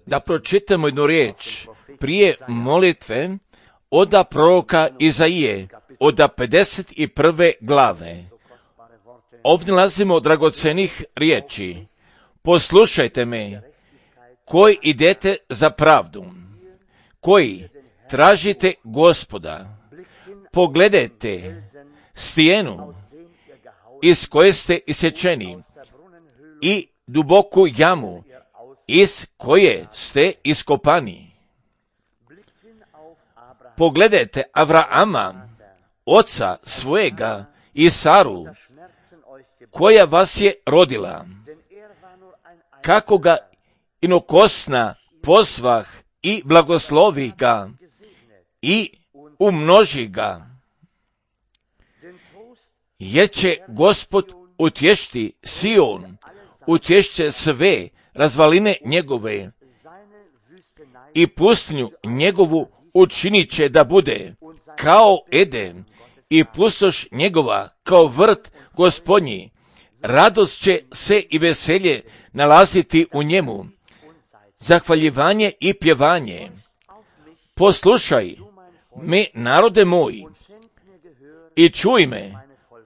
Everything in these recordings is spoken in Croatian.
da pročitamo jednu riječ prije molitve od proroka Izaije, od 51. glave. Ovdje nalazimo dragocenih riječi. Poslušajte me, koji idete za pravdu, koji tražite Gospoda, pogledajte stijenu iz koje ste isječeni i duboku jamu iz koje ste iskopani. Pogledajte Avrama, oca svojega, i Saru, koja vas je rodila, kako ga inokosna pozvah i blagoslovi ga i umnoži ga, jer će Gospod utješiti Sion, utješće sve razvaline njegove i pustinju njegovu učinit će da bude kao Eden i pustoš njegova kao vrt Gospodnji. Radost će se i veselje nalaziti u njemu, zahvaljivanje i pjevanje. Poslušaj me, narode moj, i čuj me,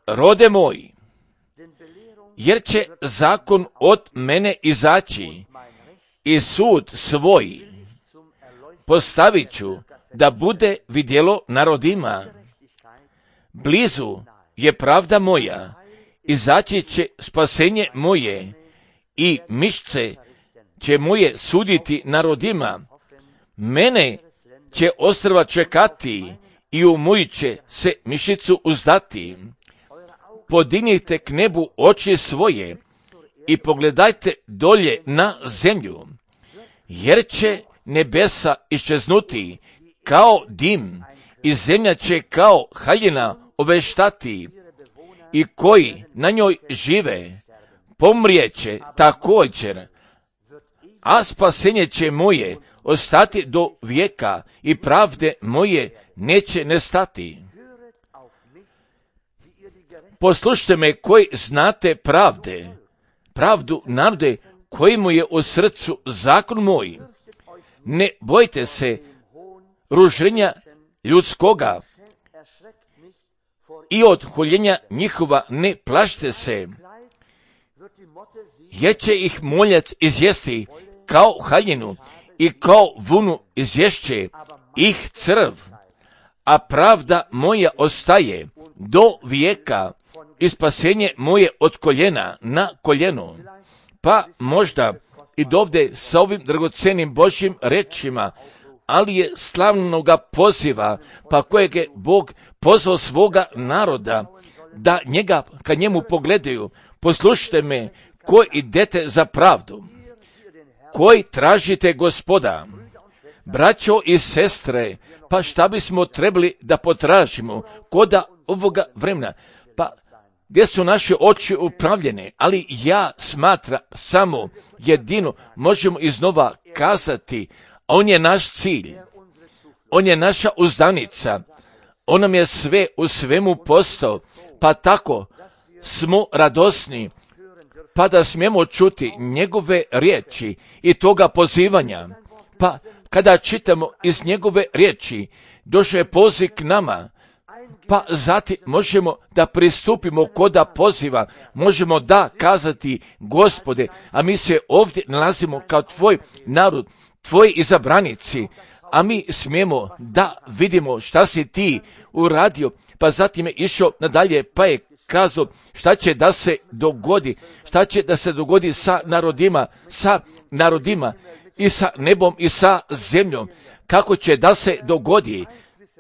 rode moj, jer će zakon od mene izaći i sud svoj postavit ću da bude vidjelo narodima. Blizu je pravda moja, izaći će spasenje moje i mišce će moje suditi narodima. Mene će ostrva čekati i u moju će se mišicu uzdati. Podignite k nebu oči svoje i pogledajte dolje na zemlju, jer će nebesa iščeznuti kao dim i zemlja će kao haljina oveštati i koji na njoj žive pomrijeće također, a spasenje će moje ostati do vijeka i pravde moje neće nestati. Poslušajte me koji znate pravdu narode koji mu je u srcu zakon moj. Ne bojte se ruženja ljudskoga i od huljenja njihova ne plašite se, jer će ih moljac izjesti kao haljinu i kao vunu izješće ih crv, a pravda moja ostaje do vijeka i spasenje moje od koljena na koljeno. Pa možda i dovde sa ovim dragocenim Božjim rečima, ali je slavnoga poziva, pa kojeg je Bog pozvao svoga naroda, da njega kad njemu pogledaju. Poslušajte me, koji idete za pravdu, koji tražite Gospoda. Braćo i sestre, pa šta bismo trebali da potražimo koda ovoga vremena? Pa gdje su naše oči upravljene, ali ja smatram samo jedino možemo iznova kazati, on je naš cilj, on je naša uzdanica, on nam je sve u svemu postao, pa tako smo radosni, pa da smijemo čuti njegove riječi i toga pozivanja. Pa kada čitamo iz njegove riječi, došao je poziv k nama, pa zatim možemo da pristupimo koda poziva, možemo da kazati Gospode, a mi se ovdje nalazimo kao tvoj narod, tvoji izabranici, a mi smijemo da vidimo šta si ti uradio, pa zatim je išao nadalje, pa je kazao šta će da se dogodi sa narodima i sa nebom i sa zemljom, kako će da se dogodi.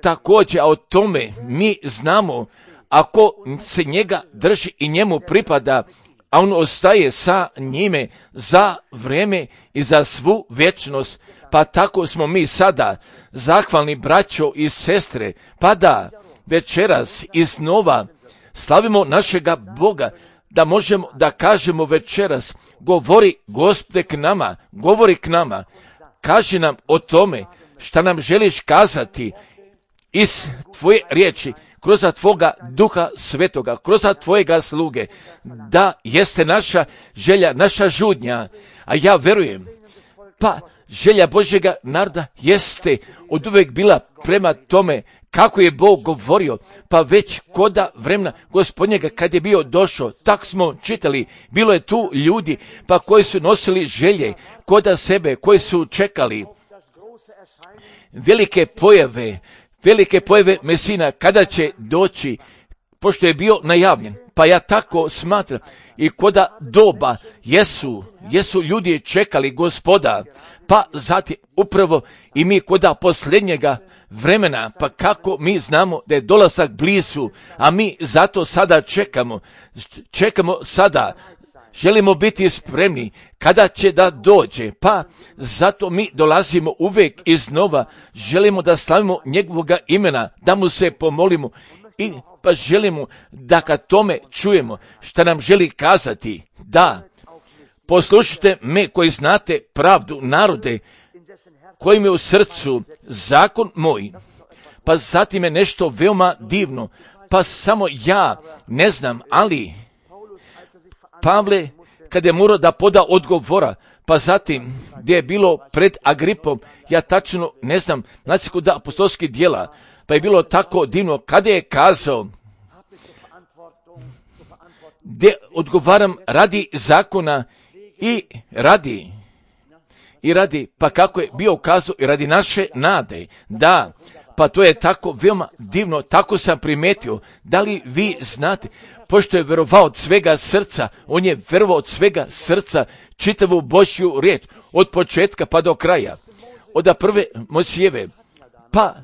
Također, a o tome mi znamo, ako se njega drži i njemu pripada, a on ostaje sa njime za vrijeme i za svu vječnost, pa tako smo mi sada zahvalni braćo i sestre, pa da večeras iznova slavimo našega Boga, da možemo da kažemo večeras, govori Gospode govori k nama, kaži nam o tome šta nam želiš kazati iz tvoje riječi, kroz tvoga Duha Svetoga, kroz tvojega sluge, da jeste naša želja, naša žudnja, a ja verujem Pa želja Božjega naroda jeste od uvek bila prema tome kako je Bog govorio, pa već koda vremena Gospodnjega kad je bio došao, tak smo čitali, bilo je tu ljudi pa koji su nosili želje koda sebe, koji su čekali velike pojave Mesina kada će doći, pošto je bio najavljen. Pa ja tako smatram i koda doba jesu ljudi čekali Gospoda, pa zatim upravo i mi koda posljednjega vremena, pa kako mi znamo da je dolazak blizu, a mi zato sada čekamo sada, želimo biti spremni kada će da dođe, pa zato mi dolazimo uvijek iznova, želimo da slavimo njegovoga imena, da mu se pomolimo i pa želimo da kad tome čujemo šta nam želi kazati, da poslušajte me koji znate pravdu, narode kojim je u srcu zakon moj. Pa zatim je nešto veoma divno, pa samo ja ne znam, ali Pavle kad je morao da poda odgovora, pa zatim gdje je bilo pred Agripom, ja tačno ne znam, znači kod apostolskih djela, pa je bilo tako divno kada je kazao gdje odgovaram radi zakona i radi, pa kako je bio kazao i radi naše nade, da, pa to je tako veoma divno, tako sam primetio, da li vi znate, pošto je verovao od svega srca, on je verovao od svega srca čitavu Božju riječ, od početka pa do kraja, od prve Mojsijeve, pa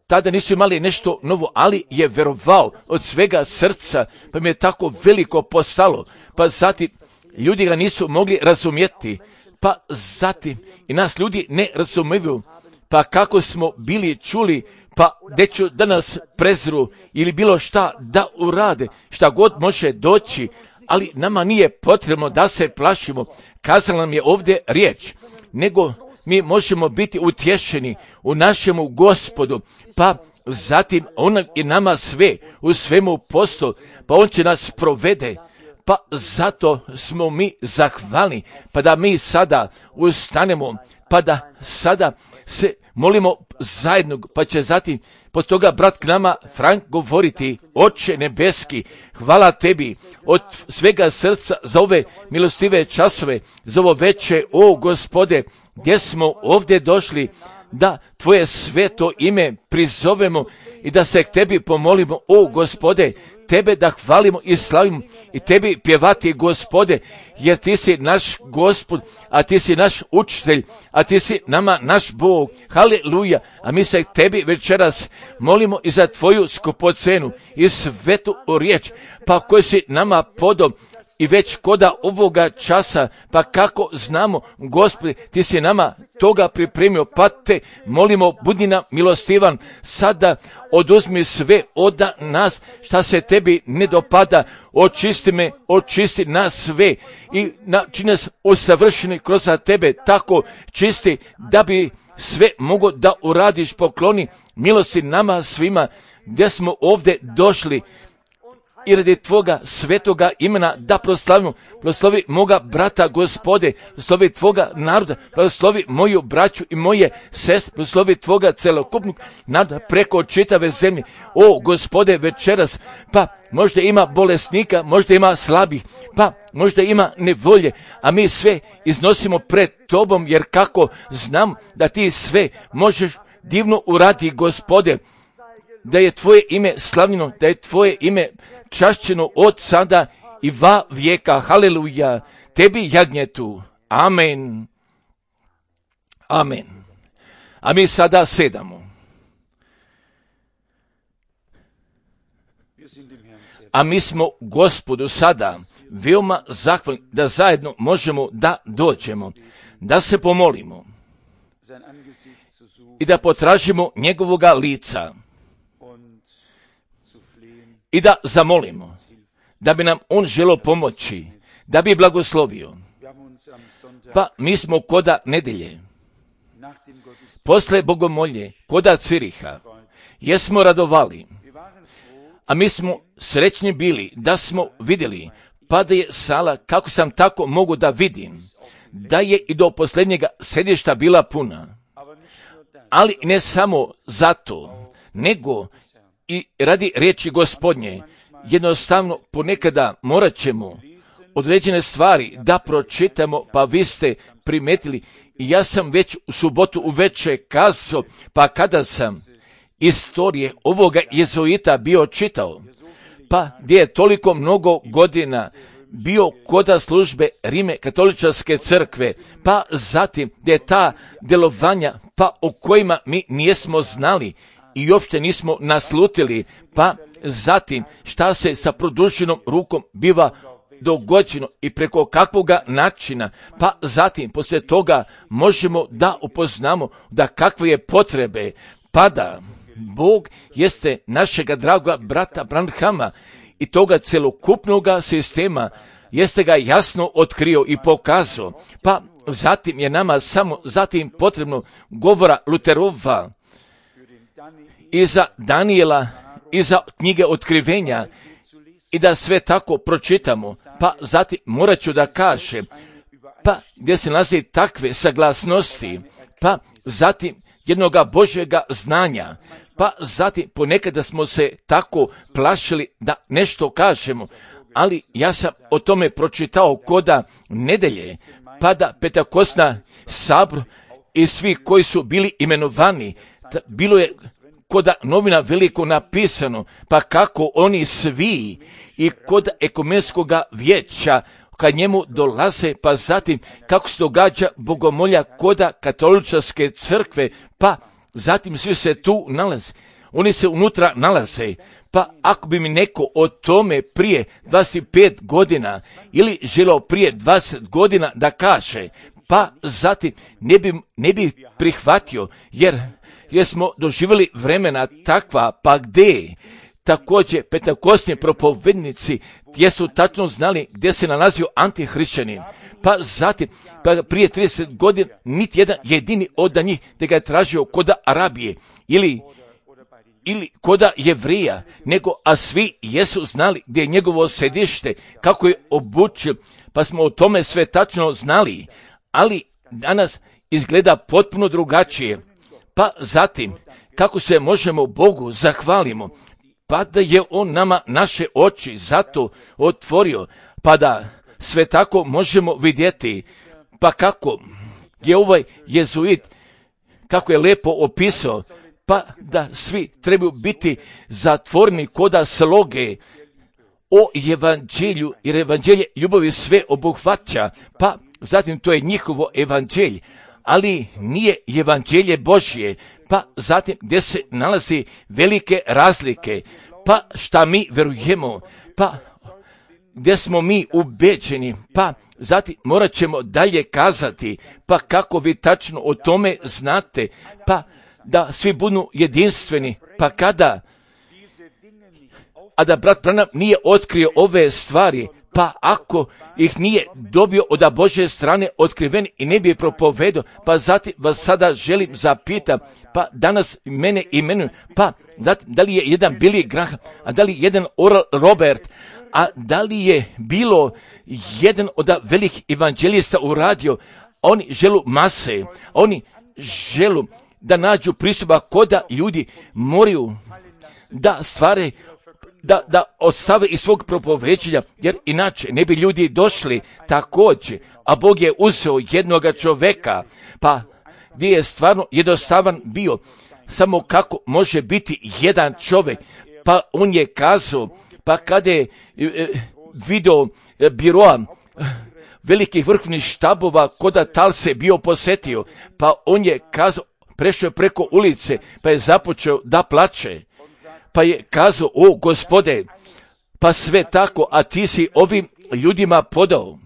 tada nisu imali nešto novo, ali je verovao od svega srca, pa mi je tako veliko postalo, pa zatim ljudi ga nisu mogli razumjeti, pa zatim i nas ljudi ne razumiju, pa kako smo bili čuli, pa gdje ću da nas prezru ili bilo šta da urade, šta god može doći, ali nama nije potrebno da se plašimo, kazala nam je ovdje riječ, nego mi možemo biti utješeni u našemu Gospodu, pa zatim on je nama sve, u svemu posto, pa on će nas provede, pa zato smo mi zahvalni, pa da mi sada ustanemo, pa da sada se molimo zajedno, pa će zatim poslije toga brat k nama Frank govoriti, Oče nebeski, hvala tebi od svega srca za ove milostive časove, za ovo veče, o Gospode, gdje smo ovdje došli da tvoje sveto ime prizovemo i da se k tebi pomolimo, o Gospode, tebe da hvalimo i slavimo i tebi pjevati, Gospode, jer ti si naš Gospod, a ti si naš učitelj, a ti si nama naš Bog, haleluja, a mi se tebi večeras molimo i za tvoju skupocenu i svetu riječ, pa koji si nama podom i već koda ovoga časa, pa kako znamo, Gospode, ti si nama toga pripremio, pa te molimo, budi nam milostivan, sada oduzmi sve od nas šta se tebi ne dopada, očisti me, očisti nas sve i čini nas usavršeni kroz tebe, tako čisti da bi sve mogo da uradiš, pokloni milosti nama svima gdje smo ovdje došli i radi tvoga svetoga imena da proslavimo. Proslovi moga brata, Gospode, proslovi tvoga naroda, proslovi moju braću i moje sestre, proslovi tvoga celokupnog naroda preko čitave zemlje. O Gospode, večeras, pa možda ima bolesnika, možda ima slabih, pa možda ima nevolje, a mi sve iznosimo pred tobom, jer kako znam da ti sve možeš divno uraditi, Gospode, da je tvoje ime slavljeno, da je tvoje ime čašćeno od sada i va vijeka. Haleluja. Tebi jagnjetu. Amen. Amen. A mi sada sedamo. A mi smo Gospodu sada veoma zahvalni da zajedno možemo da dođemo, da se pomolimo i da potražimo njegovoga lica i da zamolimo da bi nam on želio pomoći, da bi blagoslovio. Pa mi smo koda nedelje, posle bogomolje, koda Ciriha, jesmo radovali, a mi smo srećni bili da smo vidjeli pa da je sala, kako sam tako mogu da vidim, da je i do posljednjega sedišta bila puna. Ali ne samo zato, nego i radi riječi Gospodnje, jednostavno ponekada morat ćemo određene stvari da pročitamo, pa vi ste primetili, i ja sam već u subotu uveče kazao, pa kada sam istorije ovoga jezuita bio čitao, pa gdje je toliko mnogo godina bio koda službe Rime katoličarske crkve, pa zatim gdje je ta djelovanja, pa o kojima mi nismo znali i uopšte nismo naslutili, pa zatim šta se sa produženom rukom biva dogođeno i preko kakvoga načina, pa zatim poslije toga možemo da upoznamo da kakve je potrebe, pa da Bog jeste našega dragoga brata Branhama i toga celokupnoga sistema jeste ga jasno otkrio i pokazao, pa zatim je nama samo zatim potrebno govora Luterova i za Danijela i za knjige otkrivenja i da sve tako pročitamo, pa zatim morat ću da kažem, pa gdje se nalazi takve saglasnosti, pa zatim jednoga Božjega znanja, pa zatim ponekada smo se tako plašili da nešto kažemo, ali ja sam o tome pročitao koda nedelje, pa da Pentekostna sabor i svi koji su bili imenovani, bilo je koda novina veliko napisano, pa kako oni svi i kod ekumenskoga vijeća kad njemu dolaze, pa zatim kako se događa bogomolja koda katoličarske crkve, pa zatim svi se tu nalaze, oni se unutra nalaze, pa ako bi mi neko o tome prije 25 godina ili želeo prije 20 godina da kaže, pa zatim ne bi prihvatio, jer smo doživjeli vremena takva, pa gdje također pentekostni propovednici gdje su tačno znali gdje se nalazio antihrišćanin, pa zatim pa prije 30 godina niti jedan jedini od njih da ga je tražio koda Arabije ili koda Jevrija, nego a svi jesu znali gdje je njegovo sedište, kako je obučio, pa smo o tome sve tačno znali, ali danas izgleda potpuno drugačije. Pa zatim, kako se možemo Bogu zahvalimo, pa da je On nama naše oči zato otvorio, pa da sve tako možemo vidjeti, pa kako je ovaj jezuit, kako je lepo opisao, pa da svi trebaju biti zatvoreni koda sloge o evanđelju, jer evanđelje ljubavi sve obuhvaća, pa zatim to je njihovo evanđelje, ali nije evanđelje Božje, pa zatim gdje se nalazi velike razlike, pa šta mi verujemo, pa gdje smo mi ubeđeni, pa zatim morat ćemo dalje kazati, pa kako vi tačno o tome znate, pa da svi budu jedinstveni, pa kada, a da brat Branham nije otkrio ove stvari, pa ako ih nije dobio od Božje strane otkriven i ne bi propovedao, pa zatim vas sada želim zapitam, pa danas mene imenuju, pa da li je jedan Billy Graham, a da li jedan Oral Robert, a da li je bilo jedan od velikih evanđelista uradio, oni želu mase, oni želu da nađu pristupa koda ljudi moraju da stvare, da odstave iz svog propoveđenja, jer inače ne bi ljudi došli također, a Bog je uzeo jednoga čoveka, pa gdje je stvarno jednostavan bio, samo kako može biti jedan čovjek, pa on je kazao, pa kada je video biroa velikih vrhovnih štabova koda tal se bio posjetio, pa on je kazao, prešao je preko ulice, pa je započeo da plače, pa je kazao, o Gospode, pa sve tako, a ti si ovim ljudima podao.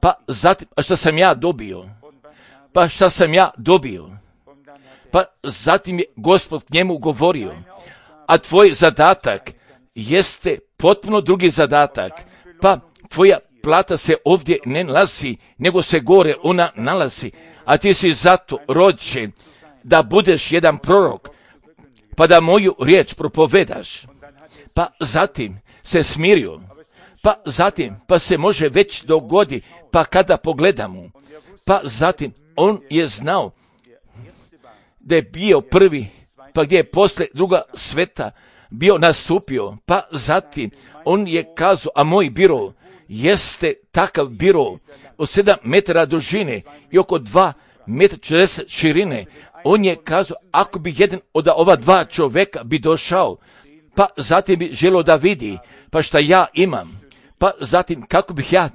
Pa zatim, a šta sam ja dobio? Pa šta sam ja dobio? Pa zatim je Gospod njemu govorio, a tvoj zadatak jeste potpuno drugi zadatak, pa tvoja plata se ovdje ne nalazi, nego se gore ona nalazi, a ti si zato rođen da budeš jedan prorok, pa da moju riječ propovedaš. Pa zatim se smirio, pa zatim, pa se može već dogodi, pa kada pogledamo, pa zatim, on je znao da je bio prvi, pa gdje je posle druga sveta bio nastupio, pa zatim on je kazao, a moj biro jeste takav biro od 7 metara dužine i oko 2 metra 40 širine. On je kazao, ako bi jedan od ova dva čovjeka bi došao, pa zatim bi želio da vidi, pa šta ja imam, pa zatim kako bih ja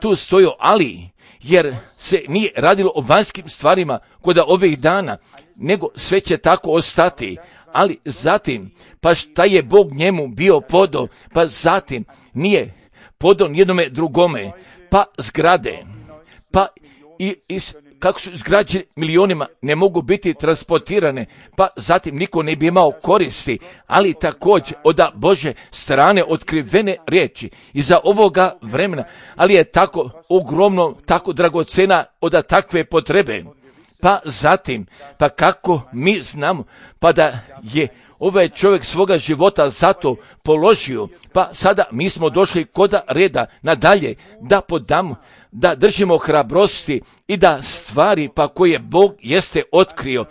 tu stojio, ali jer se nije radilo o vanjskim stvarima kod ovih dana, nego sve će tako ostati. Ali zatim, pa šta je Bog njemu bio podao, pa zatim nije podao nijednome drugome, pa zgrade, pa i kako su izgrađene milionima, ne mogu biti transportirane, pa zatim niko ne bi imao koristi, ali također od Bože strane otkrivene riječi iza ovoga vremena, ali je tako ogromno, tako dragocena od takve potrebe. Pa zatim, pa kako mi znamo, pa da je ovaj čovjek svoga života zato položio, pa sada mi smo došli kod reda nadalje da podamo, da držimo hrabrosti i da stvari pa koje Bog jeste otkrio,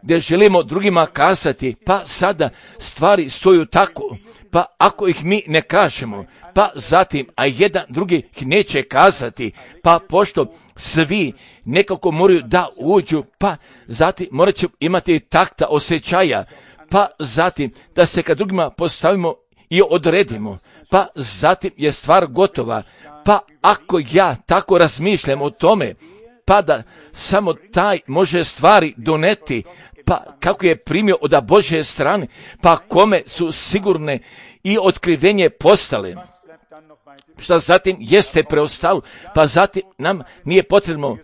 gdje želimo drugima kazati, pa sada stvari stoju tako, pa ako ih mi ne kažemo, pa zatim, a jedan drugi ih neće kazati, pa pošto svi nekako moraju da uđu, pa zatim morat će imati takta osjećaja, pa zatim da se kad drugima postavimo i odredimo, pa zatim je stvar gotova. Pa ako ja tako razmišljam o tome, pa da samo taj može stvari doneti, pa kako je primio od Božje strane, pa kome su sigurne i otkrivenje postale. Šta zatim jeste preostalo, pa zatim nam nije potrebno,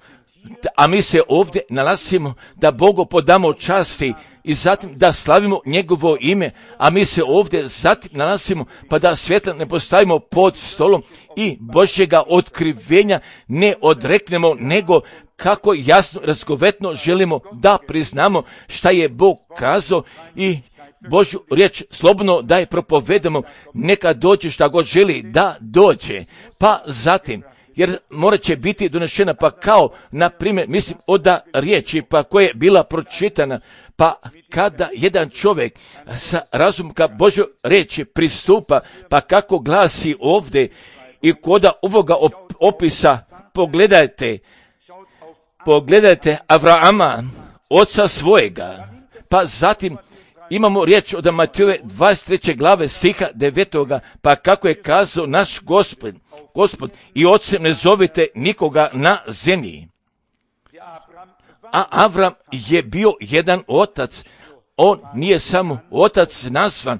a mi se ovdje nalazimo da Bogu podamo časti i zatim da slavimo njegovo ime, a mi se ovdje zatim nalazimo pa da svjetla ne postavimo pod stolom i Božjega otkrivenja ne odreknemo, nego kako jasno, razgovetno želimo da priznamo šta je Bog kazao i Božju riječ slobodno da je propovedamo, neka dođe šta god želi da dođe. Pa zatim, jer morat će biti donešena, pa kao, na primjer, mislim, od riječi pa koja je bila pročitana, pa kada jedan čovjek sa razumom ka Božjoj riječi pristupa, pa kako glasi ovdje i kod ovoga opisa, pogledajte Avrama, oca svojega, pa zatim imamo riječ od Matejove 23. glave stiha 9. pa kako je kazao naš Gospod i ocem ne zovite nikoga na zemlji. A Avram je bio jedan otac, on nije samo otac nazvan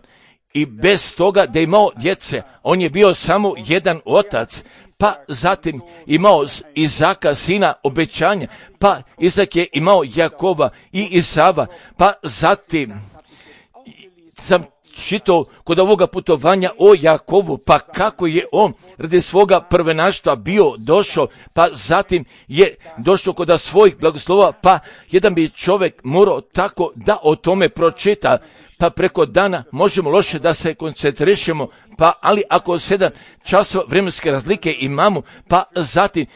i bez toga da je imao djece, on je bio samo jedan otac, pa zatim imao Izaka, sina obećanja, pa Izak je imao Jakova i Isava, pa zatim sam čitao kod ovoga putovanja o Jakovu, pa kako je on radi svoga prvenaštva bio došao, pa zatim je došao kod svojih blagoslova, pa jedan bi čovjek morao tako da o tome pročita, pa preko dana možemo loše da se koncentrišemo, pa ali ako 7 časova vremenske razlike imamo, pa zatim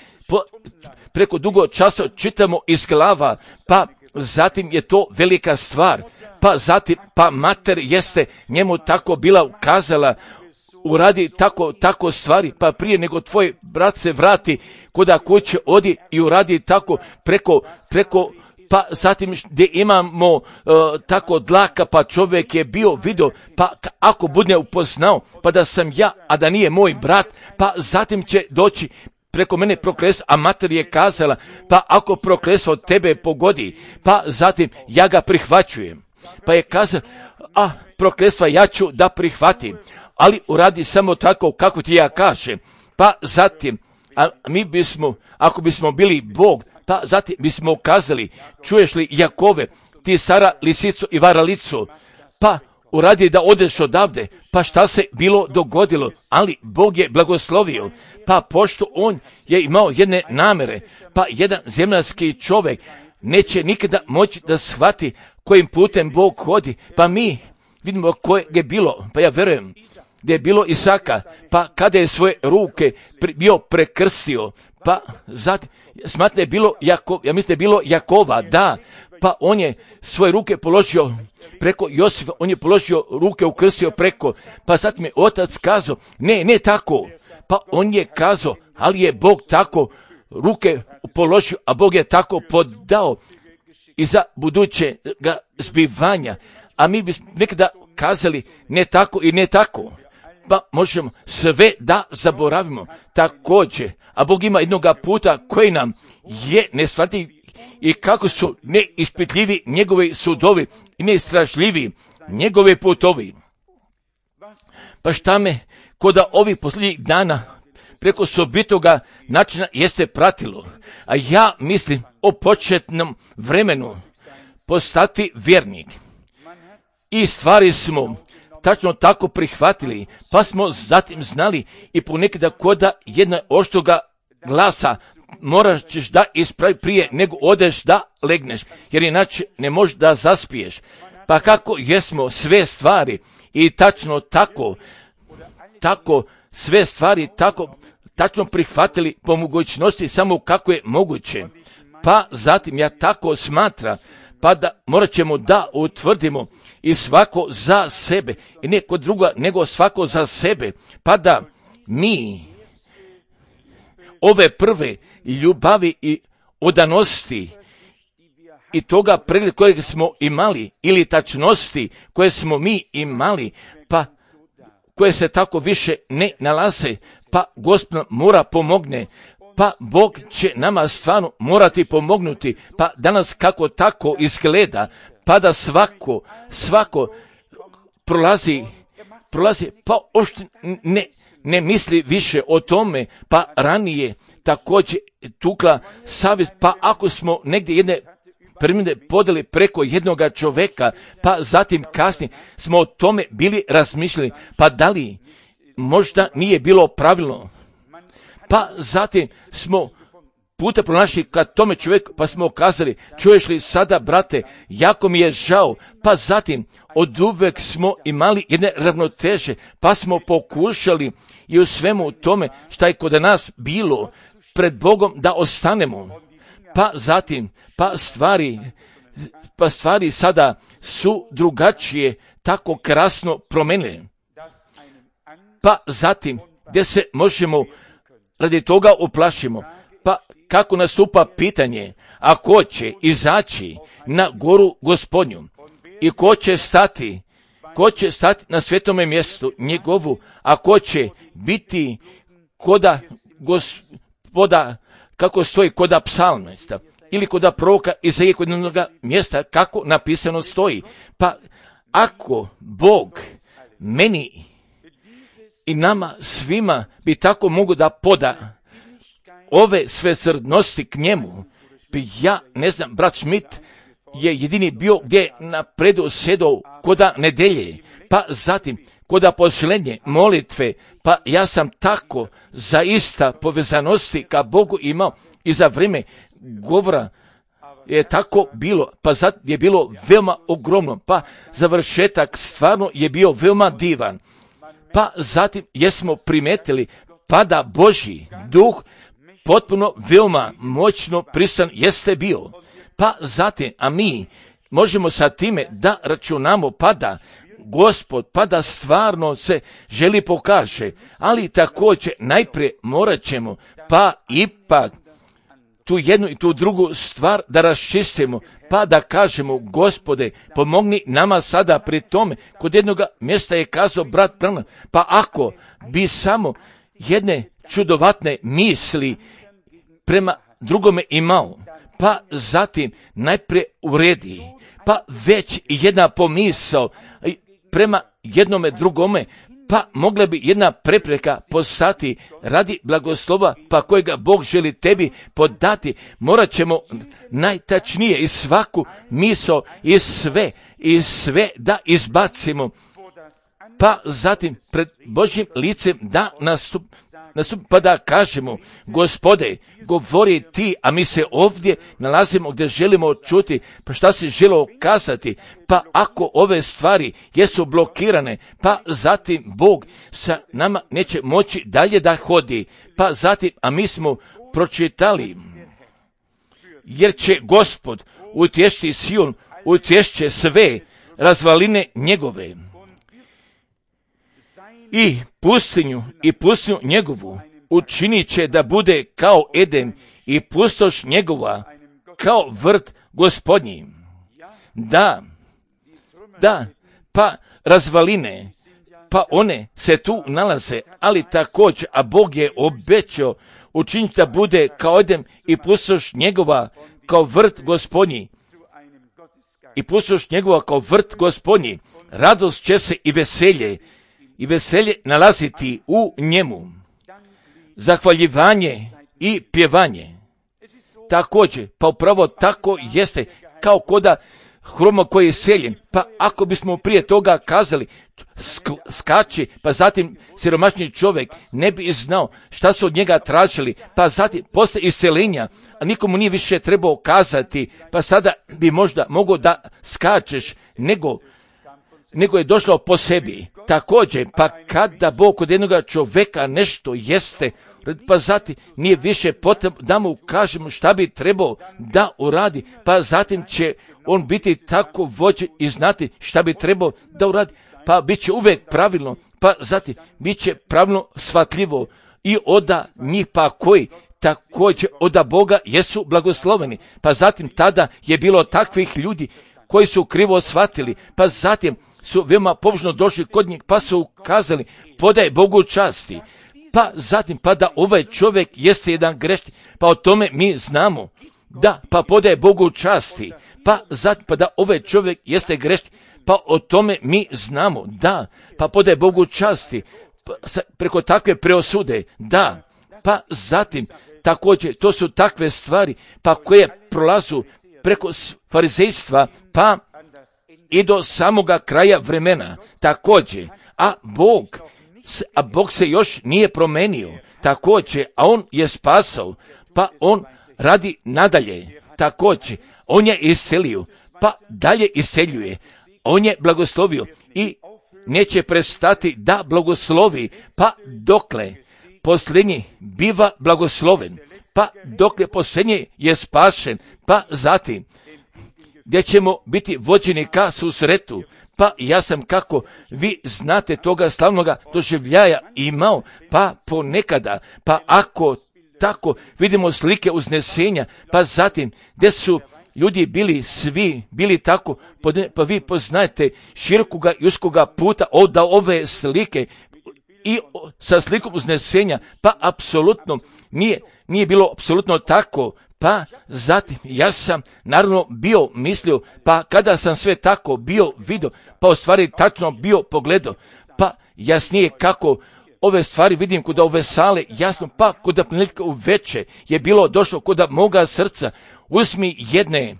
preko dugo časa čitamo iz glava, pa zatim je to velika stvar. Pa zatim, pa mater jeste njemu tako bila ukazala, uradi tako stvari, pa prije nego tvoj brat se vrati kuda kuće, odi i uradi tako preko pa zatim gdje imamo tako dlaka, pa čovjek je bio vidio, pa ako bude upoznao, pa da sam ja, a da nije moj brat, pa zatim će doći preko mene prokletstvo, a mater je kazala, pa ako prokletstvo tebe pogodi, pa zatim ja ga prihvaćujem. Pa je kazao, prokletstva ja ću da prihvatim, ali uradi samo tako kako ti ja kažem. Pa zatim, a mi bismo, ako bismo bili Bog, pa zatim bismo kazali, čuješ li Jakove, ti Sara lisicu i varalicu, pa uradi da odeš odavde, pa šta se bilo dogodilo, ali Bog je blagoslovio, pa pošto on je imao jedne namere, pa jedan zemaljski čovjek neće nikada moći da shvati kojim putem Bog hodi, pa mi vidimo koje je bilo, pa ja verujem gdje je bilo Isaka, pa kada je svoje ruke bio prekrstio, pa zatim, smatram da je bilo ja mislim da je bilo Jakova, da, pa on je svoje ruke položio preko Josifa, on je položio ruke, ukrstio preko, pa zatim je otac kazao, ne tako, pa on je kazao, ali je Bog tako ruke položio, a Bog je tako podao i za budućega zbivanja, a mi bismo nekada kazali ne tako i ne tako, pa možemo sve da zaboravimo također, a Bog ima jednoga puta koji nam je neshvatljiv i kako su neispitljivi njegovi sudovi i neistražljivi njegove putovi. Pa šta me koda ovih posljednjih dana preko sobitoga načina jeste pratilo, a ja mislim o početnom vremenu postati vjernik. I stvari smo tačno tako prihvatili, pa smo zatim znali i ponekada koda jedna oštoga glasa moraš ćeš da ispravi prije nego odeš da legneš, jer inače ne možeš da zaspiješ. Pa kako jesmo sve stvari i tačno tako sve stvari tako tačno prihvatili po mogućnosti samo kako je moguće. Pa zatim ja tako smatram, pa da morat ćemo da utvrdimo i svako za sebe i ne kod druga nego svako za sebe, pa da mi ove prve ljubavi i odanosti i toga pregled kojeg smo imali ili tačnosti koje smo mi imali, pa koje se tako više ne nalaze, pa Gospod mora pomogne, pa Bog će nama stvarno morati pomognuti, pa danas kako tako izgleda, pa da svako prolazi, pa ošte ne misli više o tome, pa ranije također tukla savjet, pa ako smo negdje jedne primjene podeli preko jednoga čovjeka, pa zatim kasnije smo o tome bili razmišljali, pa da li možda nije bilo pravilno, pa zatim smo puta pronašli kad tome čovjeku, pa smo kazali, čuješ li sada, brate, jako mi je žao, pa zatim oduvek smo imali jedne ravnoteže, pa smo pokušali i u svemu tome šta je kod nas bilo pred Bogom da ostanemo, pa zatim, pa stvari sada su drugačije, tako krasno promenile, pa zatim gdje se možemo radi toga uplašimo, pa kako nastupa pitanje, a ko će izaći na goru Gospodnju i ko će stati na svetome mjestu njegovu, a ko će biti koda Gospoda, kako stoji koda psalmista ili koda proroka Izaije kod jednog mjesta, kako napisano stoji. Pa ako Bog meni i nama svima bi tako mogu da poda ove sve srdnosti k njemu, ja ne znam, brat Schmidt je jedini bio gdje napredu sedao koda nedelje, pa zatim koda posljednje molitve, pa ja sam tako zaista povezanosti ka Bogu imao i za vrijeme govora je tako bilo, pa zatim je bilo veoma ogromno, pa završetak stvarno je bio veoma divan, pa zatim jesmo primetili pa da Božji duh potpuno veoma moćno prisutan jeste bio, pa zatim, a mi možemo sa time da računamo pa da Gospod, pa da stvarno se želi pokaže, ali također najprije morat ćemo, pa ipak tu jednu i tu drugu stvar da raščistimo, pa da kažemo, Gospode, pomogni nama sada pri tome. Kod jednog mjesta je kazao brat Branham, pa ako bi samo jedne čudovatne misli prema drugome imao, pa zatim najprije uredi, pa već jedna pomisao prema jednome drugome, pa mogla bi jedna prepreka postati radi blagoslova, pa kojega Bog želi tebi podati. Morat ćemo najtačnije i svaku misao i sve da izbacimo, pa zatim pred Božjim licem da nastup, pa da kažemo, Gospode, govori ti, a mi se ovdje nalazimo gdje želimo čuti, pa šta si želio kazati, pa ako ove stvari jesu blokirane, pa zatim Bog sa nama neće moći dalje da hodi, pa zatim, a mi smo pročitali, jer će Gospod utješiti Sion, utješće sve razvaline njegove i pustinju njegovu učinit će da bude kao Eden i pustoš njegova kao vrt Gospodnji. Da, pa razvaline, pa one se tu nalaze, ali također, a Bog je obećao učiniti da bude kao Eden i pustoš njegova kao vrt Gospodnji. I pustoš njegova kao vrt Gospodnji. Radost će se i veselje nalaziti u njemu. Zahvaljivanje i pjevanje. Također, pa upravo tako jeste, kao koda hroma koji je seljen. Pa ako bismo prije toga kazali skači, pa zatim siromašni čovjek ne bi znao šta su od njega tražili, pa zatim posle iseljenja, a nikomu nije više trebao kazati, pa sada bi možda mogao da skačeš, nego je došlo po sebi. Također, pa kada Bog kod jednoga čovjeka nešto jeste, pa zatim nije više potrebno da mu kažemo šta bi trebao da uradi, pa zatim će on biti tako vođen i znati šta bi trebao da uradi, pa bit će uvijek pravilno, pa zatim bit će pravilno shvatljivo i oda njih pa koji također oda Boga jesu blagosloveni, pa zatim tada je bilo takvih ljudi koji su krivo shvatili, pa zatim su veoma pobožno došli kod njih, pa su kazali, podaj Bogu časti, pa zatim, pa da ovaj čovjek jeste jedan grešnik, pa o tome mi znamo, da, pa podaj Bogu časti, pa zatim, pa da ovaj čovjek jeste grešnik, pa o tome mi znamo, da, pa podaj Bogu časti, pa, preko takve preosude, da, pa zatim, također, to su takve stvari, pa koje prolazu preko farizejstva, pa i do samoga kraja vremena, također, a Bog se još nije promenio, također, a on je spasao, pa on radi nadalje, također, on je iselio, pa dalje iseljuje, on je blagoslovio i neće prestati da blagoslovi, pa dokle posljednji biva blagosloven, pa dokle posljednji je spašen, pa zatim gdje ćemo biti vođeni ka susretu, pa ja sam, kako vi znate, toga slavnoga doživljaja imao, pa ponekada, pa ako tako vidimo slike uznesenja, pa zatim gdje su ljudi bili tako, pa vi poznajete širokoga i uskoga puta od ove slike i sa slikom uznesenja, pa apsolutno nije bilo apsolutno tako. Pa zatim ja sam naravno bio mislio, pa kada sam sve tako bio vidio, pa u stvari tačno bio pogledao, pa jasnije kako ove stvari vidim kod ove sale, jasno, pa kod prilike u veče je bilo došlo kod moga srca, uzmi jedne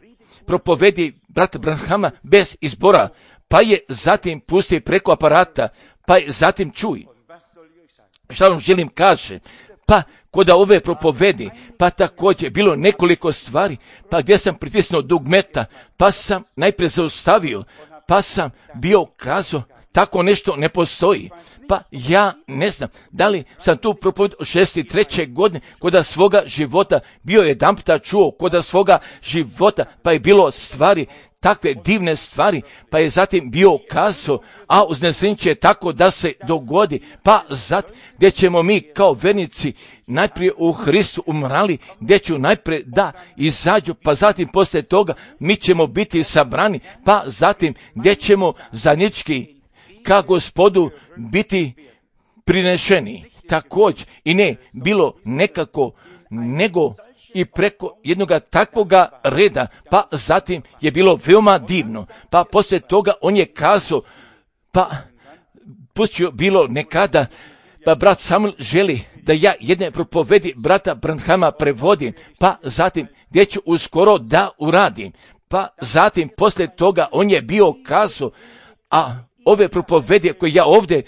propovedi brata Branhama bez izbora, pa je zatim pusti preko aparata, pa je zatim čuj. Šta vam želim kaže? Pa kod ove propovedi, pa također bilo nekoliko stvari, pa gdje sam pritisnuo dugmeta, pa sam najprije zaustavio, pa sam bio kazao, tako nešto ne postoji. Pa ja ne znam, da li sam tu propoved od 63. godine kod svoga života bio jedanputa čuo, kod svoga života, pa je bilo stvari, takve divne stvari, pa je zatim bio kazao, a uznesenje će tako da se dogodi, pa zatim gdje ćemo mi kao vernici najprije u Hristu umrali, gdje ću najprije da izađu, pa zatim poslije toga mi ćemo biti sabrani, pa zatim gdje ćemo zajednički ka Gospodu biti prinešeni. Također i ne bilo nekako, nego i preko jednoga takvoga reda, pa zatim je bilo veoma divno, pa poslije toga on je kazao, pa pustio bilo nekada, pa brat Samuel želi da ja jedne propovedi brata Branhama prevodim, pa zatim gdje ću uskoro da uradim, pa zatim poslije toga on je bio kazao, a ove propovede koje ja ovdje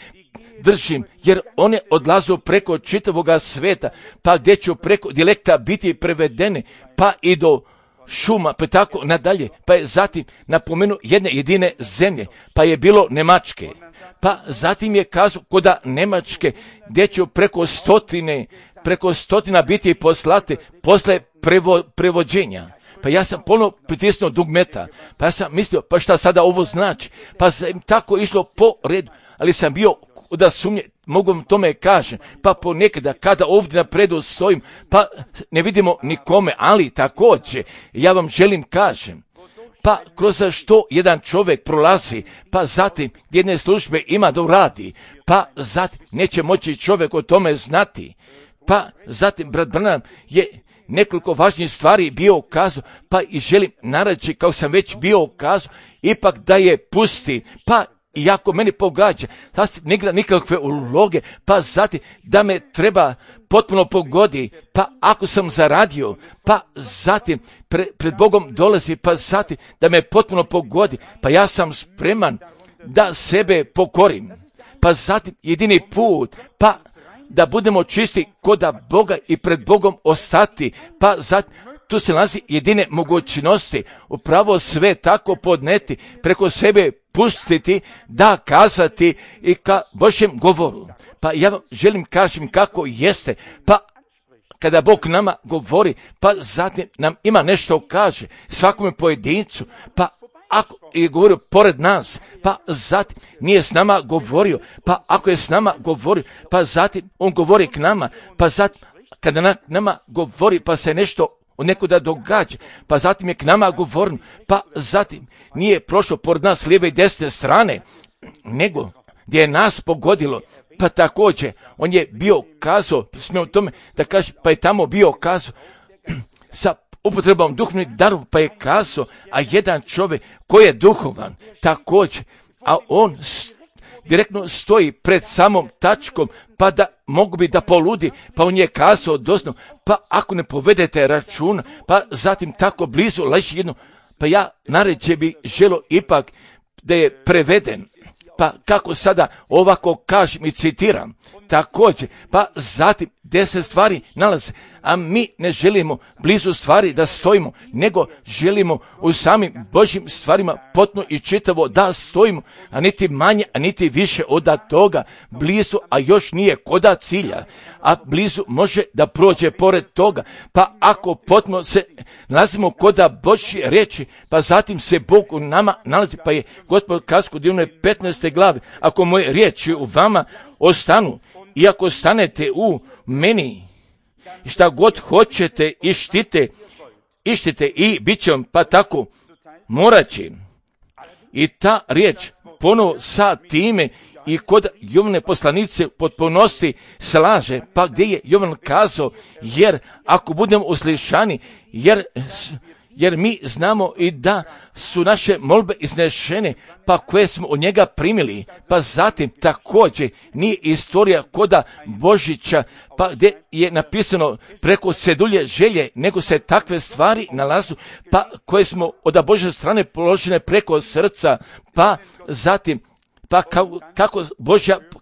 držim, jer one odlazu preko čitavoga sveta, pa gdje ću preko dijalekta biti prevedene, pa i do šuma, pa tako nadalje, pa je zatim napomenuo jedne jedine zemlje, pa je bilo Nemačke, pa zatim je kazao koda Nemačke, gdje ću preko stotina biti poslate posle prevođenja. Pa ja sam ponovno pritisnuo dugmeta, pa ja sam mislio, pa šta sada ovo znači, pa sam tako išlo po redu, ali sam bio da sumnje, mogu vam tome kažem, pa ponekada kada ovdje napredu stojim, pa ne vidimo nikome, ali također, ja vam želim kažem, pa kroz što jedan čovjek prolazi, pa zatim jedne službe ima da uradi, pa zatim neće moći čovjek o tome znati, pa zatim brat Branham je nekoliko važnijih stvari bio ukazao, pa i želim nareći, kao sam već bio ukazao, ipak da je pusti, pa iako meni pogađa, sasvim ne igra nikakve uloge, pa zatim da me treba potpuno pogodi, pa ako sam zaradio, pa zatim pred Bogom dolazi, pa zatim da me potpuno pogodi, pa ja sam spreman da sebe pokorim, pa zatim jedini put, pa da budemo čisti koda Boga i pred Bogom ostati, pa zatim tu se nalazi jedine mogućnosti, upravo sve tako podneti, preko sebe pustiti, da kazati i ka Božjem govoru. Pa ja vam želim kažem kako jeste, pa kada Bog nama govori, pa zatim nam ima nešto kaže, svakome pojedincu, pa ako je govorio pored nas, pa zatim nije s nama govorio, pa ako je s nama govorio, pa zatim on govori k nama, pa zatim kada nama govori, pa se nešto nekuda događa, pa zatim je k nama govorio, pa zatim nije prošlo pored nas lijeve i desne strane, nego gdje je nas pogodilo, pa također on je bio kazao, smijem tome da kaže, pa je tamo bio kazao, sa upotrebom duhovnih darova, pa je kazao, a jedan čovjek koji je duhovan, također, a on direktno stoji pred samom tačkom, pa da mogu bi da poludi, pa on je kazao doslovno, pa ako ne povedete računa, pa zatim tako blizu leži jedno, pa ja naređe bi želo ipak da je preveden, pa kako sada ovako kažem i citiram, također, pa zatim 10 stvari nalaze, a mi ne želimo blizu stvari da stojimo, nego želimo u samim Božjim stvarima potpuno i čitavo da stojimo, a niti manje, a niti više od toga, blizu, a još nije koda cilja, a blizu može da prođe pored toga, pa ako potpuno se nalazimo koda Božje riječi, pa zatim se Bog u nama nalazi, pa je Gospod kazao kod Ivane 15. glave, ako moje riječi u vama ostanu, i ako stanete u meni, šta god hoćete ištite i bit će vam, pa tako morat će. I ta riječ ponovo sa time i kod Jovane poslanice potpunosti slaže, pa gdje je Jovan kazao, jer ako budemo uslišani, jer mi znamo i da su naše molbe iznešene, pa koje smo od njega primili, pa zatim također nije istorija koda Božića, pa gdje je napisano preko cedulje želje, nego se takve stvari nalazu, pa koje smo od Božje strane položene preko srca, pa zatim pa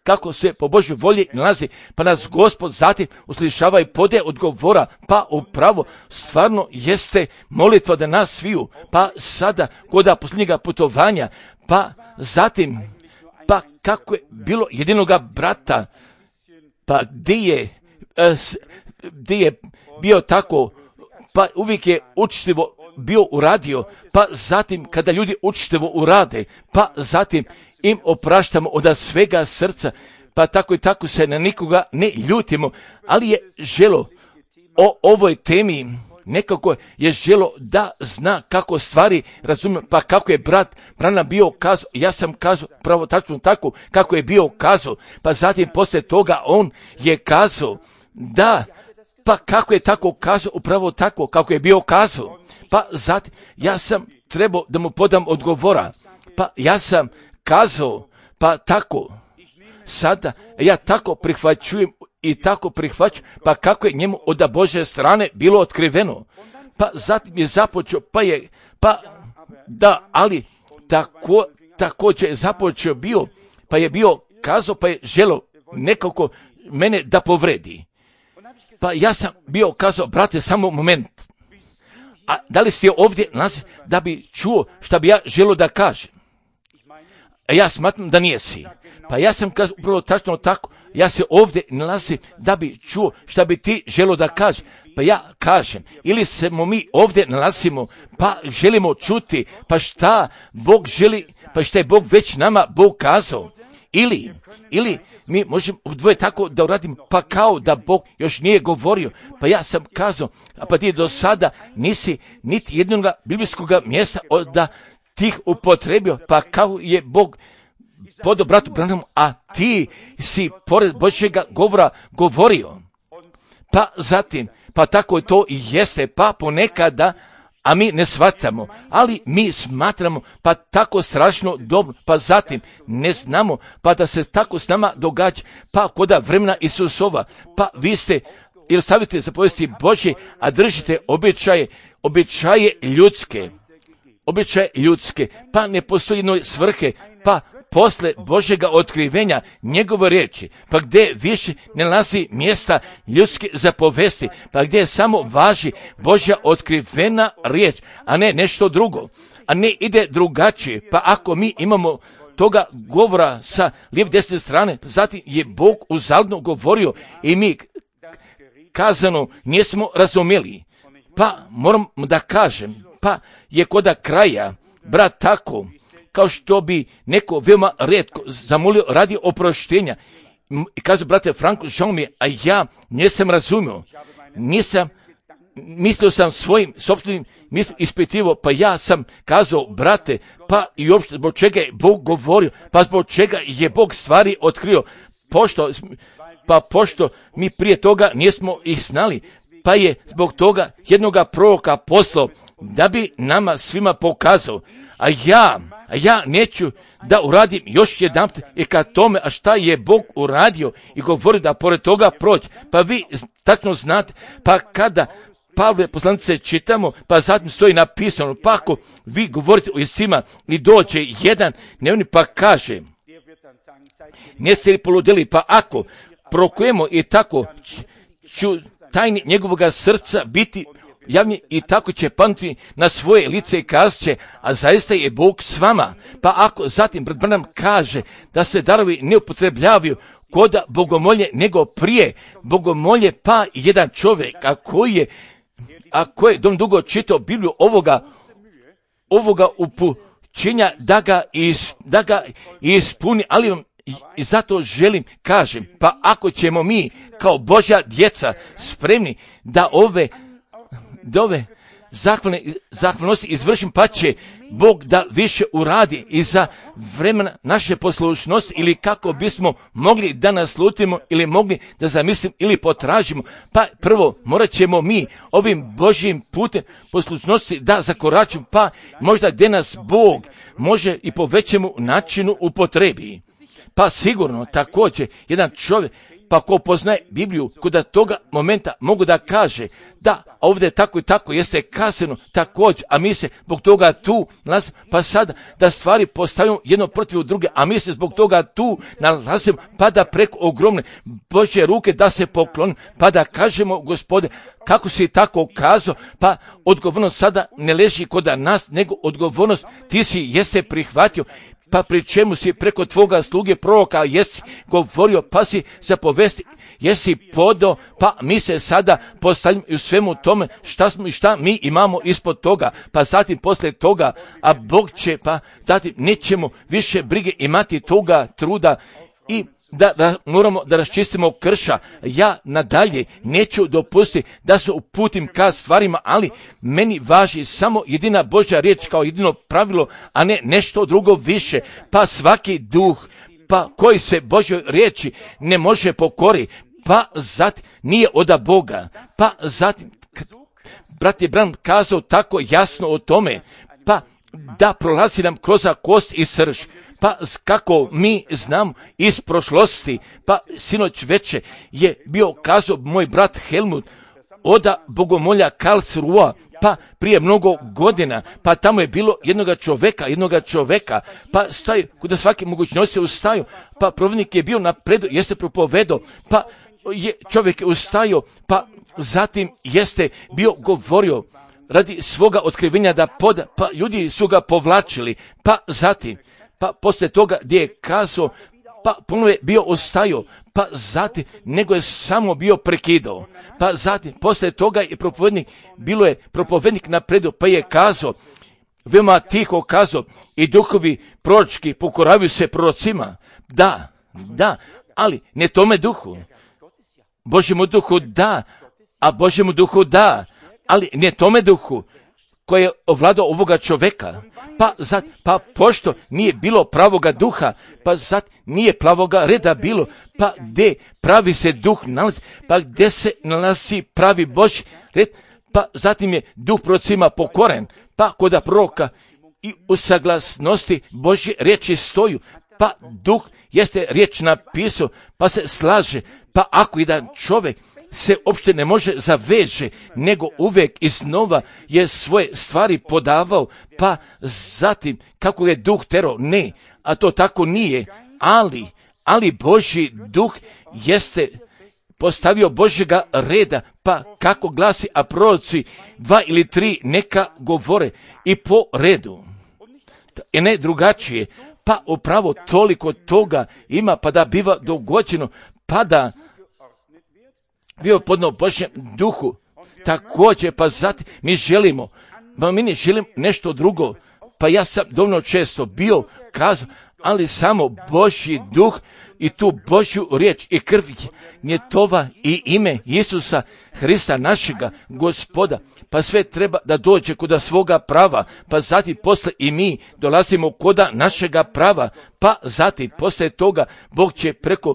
kako se po Božjoj volji nalazi, pa nas Gospod zatim uslišava i pode odgovora, pa upravo stvarno jeste molitva da nas sviju, pa sada koda posljednjega putovanja, pa zatim, pa kako je bilo jedinoga brata, pa gdje je bio tako, pa uvijek je učitivo bio uradio, pa zatim kada ljudi učitivo urade, pa zatim im opraštamo od svega srca, pa tako i tako se na nikoga ne ljutimo, ali je želo o ovoj temi, nekako je želo da zna kako stvari razumije, pa kako je brat Branham bio kazao, ja sam kazao pravo tačno tako kako je bio kazao, pa zatim poslije toga on je kazao da, pa kako je tako kazao, upravo tako kako je bio kazao, pa zatim ja sam trebao da mu podam odgovora, pa ja sam kazao, pa tako, sada ja tako prihvaćujem i tako prihvaćam, pa kako je njemu od Božje strane bilo otkriveno, pa zatim je započeo, ali također započeo bio, pa je bio kazao, pa je želo nekako mene da povredi. Pa ja sam bio kazao, brate, samo moment. A da li ste ovdje nalazi da bi čuo šta bi ja želio da kažem? A ja smatram da nijesi. Pa ja sam kazao upravo tačno tako, ja se ovdje nalazim da bi čuo šta bi ti želio da kažeš. Pa ja kažem, ili se mi ovdje nalazimo, pa želimo čuti, pa šta Bog želi, pa šta je Bog već nama Bog kazao. Ili mi možemo dvoje tako da uradimo, pa kao da Bog još nije govorio. Pa ja sam kazao, a pa ti do sada nisi niti jednog biblijskog mjesta da tih upotrebio, pa kao je Bog podao bratu Branhamu, a ti si pored Božjega govora govorio. Pa zatim, pa tako to i jeste, pa ponekada, a mi ne shvatamo, ali mi smatramo pa tako strašno dobro, pa zatim ne znamo, pa da se tako s nama događa, pa koda vremena Isusova, pa vi ste, ili stavite zapovesti Božje, a držite običaje ljudske, pa ne postoji jednoj svrhe, pa posle Božjega otkrivenja njegove riječi, pa gdje više ne nalazi mjesta ljudske zapovesti, pa gdje samo važi Božja otkrivena riječ, a ne nešto drugo, a ne ide drugačije. Pa ako mi imamo toga govora sa lijeve desne strane, zatim je Bog uzaludno govorio i mi kazano nismo razumjeli. Pa moram da kažem, pa je koda kraja, brat, tako kao što bi neko veoma rijetko zamolio radi oproštenja. I kaže, brate Franko, žao mi je, a ja nisam razumio. Mislio sam svojim sopstvenim ispitivo, pa ja sam kazao, brate, pa i uopšte zbog čega je Bog govorio, pa zbog čega je Bog stvari otkrio, pošto mi prije toga nismo ih znali, pa je zbog toga jednoga proroka poslao da bi nama svima pokazao. A ja neću da uradim još jedanput i kad tome, a šta je Bog uradio i govori da pored toga proći. Pa vi tačno znate, pa kada Pavle poslanice čitamo, pa zatim stoji napisano, pa ako vi govorite o Isima i dođe jedan nevni pa kaže, neste li poludeli, pa ako prokujemo i tako ću tajni njegovoga srca biti javni i tako će panuti na svoje lice i kazat će, a zaista je Bog s vama. Pa ako zatim brat Branham kaže da se darovi ne upotrebljavaju koda bogomolje nego prije bogomolje, pa jedan čovjek, a koji je dugo čitao Bibliju ovoga upućenja da ga ispuni, ali vam i zato želim kažem, pa ako ćemo mi kao Božja djeca spremni da ove zahvalnosti izvršim, pa će Bog da više uradi i za vremena naše poslušnosti, ili kako bismo mogli da naslutimo ili mogli da zamislimo ili potražimo, pa prvo morat ćemo mi ovim Božjim putem poslušnosti da zakoračimo, pa možda gdje nas Bog može i po većemu načinu upotrebi. Pa sigurno također jedan čovjek, pa ko poznaje Bibliju, kod toga momenta mogu da kaže da ovdje tako i tako jeste kazano također, a mi se zbog toga tu nalazimo, pa sada da stvari postavimo jedno protiv druge, a mi se zbog toga tu nalazimo, pa da preko ogromne Božje ruke da se poklonimo, pa da kažemo, Gospode, kako si tako kazao, pa odgovornost sada ne leži kod nas, nego odgovornost ti si jeste prihvatio, pa pri čemu si preko tvoga sluge proroka jesi govorio, pa si zapovesti, jesi podao, pa mi se sada postavljamo i u svemu tome šta mi imamo ispod toga, pa zatim poslije toga, a Bog će, pa zatim nećemo više brige imati toga truda i da moramo da raščistimo krša. Ja nadalje neću dopustiti da se uputim ka stvarima, ali meni važi samo jedina Božja riječ kao jedino pravilo, a ne nešto drugo više. Pa svaki duh, pa koji se Božjoj riječi ne može pokori, pa zatim nije od Boga. Pa zatim, brat je Branham kazao tako jasno o tome, pa da prolazi nam kroz kost i srž. Pa kako mi znam iz prošlosti, pa sinoć veče je bio kazao moj brat Helmut oda bogomolja Karlsruhe, pa prije mnogo godina, pa tamo je bilo jednoga čoveka, pa staju, kuda svaki mogućnosti ustaju, pa provodnik je bio napredu, jeste propovedao, pa čovjek je ustaju, pa zatim jeste bio govorio radi svoga otkrivenja da pa ljudi su ga povlačili, pa zatim, pa poslije toga gdje je kazao, pa ponovo je bio ostaju, pa zatim, nego je samo bio prekidao, pa zatim, poslije toga je propovednik napredu, pa je kazao, veoma tiho kazao, i duhovi proročki pokoravaju se prorocima, da, ali ne tome duhu, Božjemu duhu da, a Božjemu duhu da, ali ne tome duhu koji je ovladao ovoga čoveka, pa pošto nije bilo pravoga duha, pa nije pravoga reda bilo, pa gdje pravi se duh nalazi, pa gdje se nalazi pravi Božji red, pa zatim je duh prorocima pokoren, pa koda proroka i u saglasnosti Božje riječi stoju, pa duh jeste riječ napisao, pa se slaže, pa ako jedan čovjek se uopšte ne može zaveže, nego uvijek iznova je svoje stvari podavao, pa zatim kako je duh terao, ne, a to tako nije, ali Božji duh jeste postavio Božjega reda, pa kako glasi, a proroci 2 ili 3 neka govore i po redu, i ne drugačije, pa upravo toliko toga ima, pa da biva dogođeno, pa da bio podno Božjem duhu, također, pa zatim mi ne želim nešto drugo, pa ja sam dovoljno često bio kazao, ali samo Božji duh i tu Božju riječ i krv njegova i ime Isusa Hrista našega Gospoda, pa sve treba da dođe koda svoga prava, pa zatim posle i mi dolazimo koda našega prava, pa zatim posle toga Bog će preko